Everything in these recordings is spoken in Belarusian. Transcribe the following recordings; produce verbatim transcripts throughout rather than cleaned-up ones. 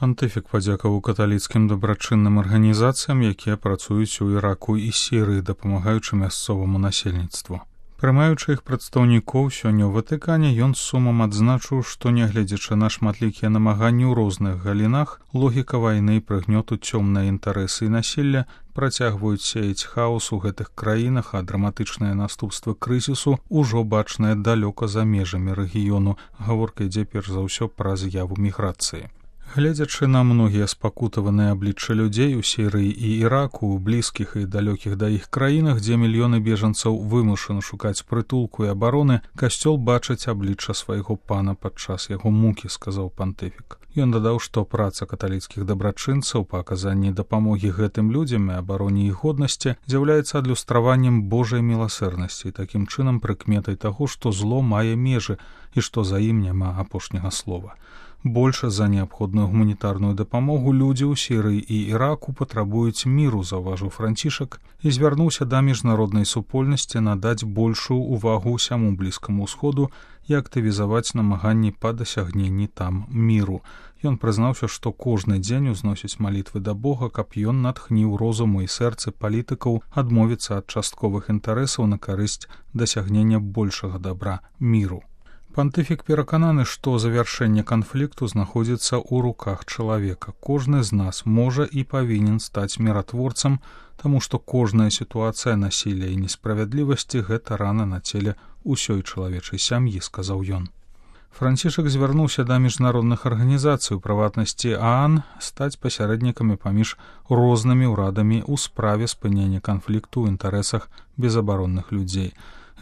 Пантыфік падзякаваў каталіцкім дабрачынным арганізацыям, якія працуюць у Іраку і Сірыі, дапамагаючы мясцоваму насельніцтву. Прымаючы іх прадстаўнікоў сёння ў Ватыкане, ён з сумам адзначыў, што, нягледзячы на шматлікія намаганні ў розных галінах, логіка вайны і прыгнёту цёмныя інтарэсы і насілля працягваюць сеяць хаос у гэтых краінах, а драматычныя наступствы крызісу ўжо бачныя далёка за межамі рэгіёну. Гаворка ідзе перш за ўсё пра з'яву міграцыі. Гледзячы на многія спакутаваныя аблічча людзей у Сірыі і Іраку, у блізкіх і далёкіх да іх краінах, дзе мільёны бежанцаў вымушаны шукаць прытулку і абароны, касцёл бачыць аблічча свайго пана падчас яго мукі, сказаў пантыфік. Ён дадаў, што праца каталіцкіх дабрачынцаў па аказанні дапамогі гэтым людзям і абароне іх годнасці з'яўляецца адлюстраваннем Божай міласэрнасці і такім чынам прыкметай таго, што зло мае межы і што за ім няма апошняга слова. Больш за неабходную гуманітарную дапамогу людзі ў Сірыі і Іраку патрабуюць міру, заўважыў Францішак, і звярнуўся да міжнароднай супольнасці надаць большую ўвагу ўсяму блізкаму ўсходу і актывізаваць намаганні па дасягненні там міру. Ён прызнаўся, што кожны дзень узносіць малітвы да Бога, каб ён натхніў розуму і сэрцы палітыкаў адмовіцца ад частковых інтарэсаў на карысць дасягнення большага дабра міру. Пантыфік перакананы, што завяршэнне канфлікту знаходзіцца ў руках чалавека. Кожны з нас можа і павінен стаць міратворцам, таму што кожная сітуацыя насілля і несправядлівасці – гэта рана на целе ўсёй чалавечай сям'і, сказаў ён. Францішак звярнуўся да міжнародных арганізацый, у прыватнасці ААН, стаць пасярэднікамі паміж рознымі ўрадамі ў справе спынення канфлікту ў інтарэсах безабаронных людзей.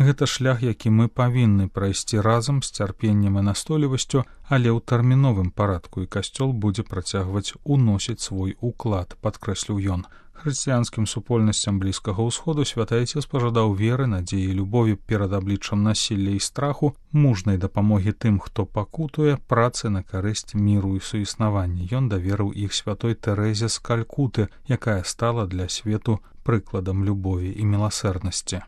Гэта шлях, які мы павінны прайсці разам з цярпеннем і настойлівасцю, але ў тэрміновым парадку, і касцёл будзе працягваць уносіць свой уклад, падкрэсліў ён. Хрысціянскім супольнасцям Блізкага ўсходу святы Айцец пажадаў веры, надзеі і любові перад абліччам насілля і страху, мужнай дапамогі тым, хто пакутуе, працы на карысць міру і суіснавання. Ён даверыў іх святой Тэрэзе з Калькуты, якая стала для свету прыкладам любові і міласэрнасці.